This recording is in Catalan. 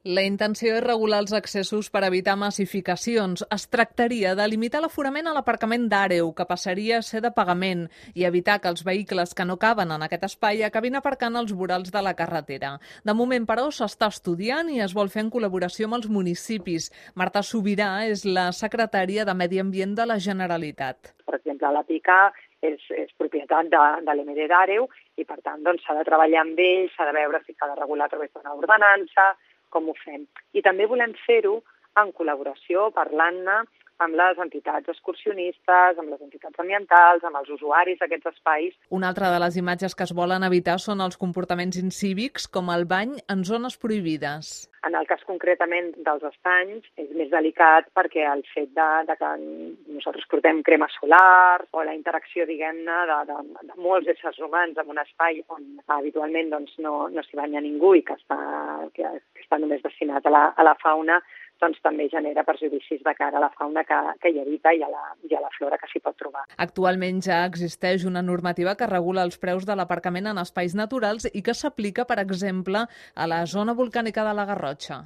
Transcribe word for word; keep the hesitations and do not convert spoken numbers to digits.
La intenció és regular els accessos per evitar massificacions. Es tractaria de limitar l'aforament a l'aparcament d'Àreu, que passaria a ser de pagament, i evitar que els vehicles que no caben en aquest espai acabin aparcant als vorals de la carretera. De moment, però, s'està estudiant i es vol fer en col·laboració amb els municipis. Marta Subirà és la secretària de Medi Ambient de la Generalitat. Per exemple, la Pica és, és propietat de, de l'E M D d'Àreu i, per tant, doncs, s'ha de treballar amb ells, s'ha de veure si s'ha de regular a través d'una ordenança, com ho fem. I també volem fer-ho en col·laboració, parlant-ne amb les entitats excursionistes, amb les entitats ambientals, amb els usuaris d'aquests espais. Una altra de les imatges que es volen evitar són els comportaments incívics, com el bany en zones prohibides. En el cas concretament dels estanys és més delicat perquè el fet de, de que nosaltres portem crema solar o la interacció, diguem-ne, de, de, de molts éssers humans en un espai on habitualment doncs, no, no s'hi banya ningú i que està, que està només destinat a la, a la fauna, doncs també genera perjudicis de cara a la fauna que, que hi habita i a, la, i a la flora que s'hi pot trobar. Actualment ja existeix una normativa que regula els preus de l'aparcament en espais naturals i que s'aplica, per exemple, a la zona volcànica de la Garrotxa.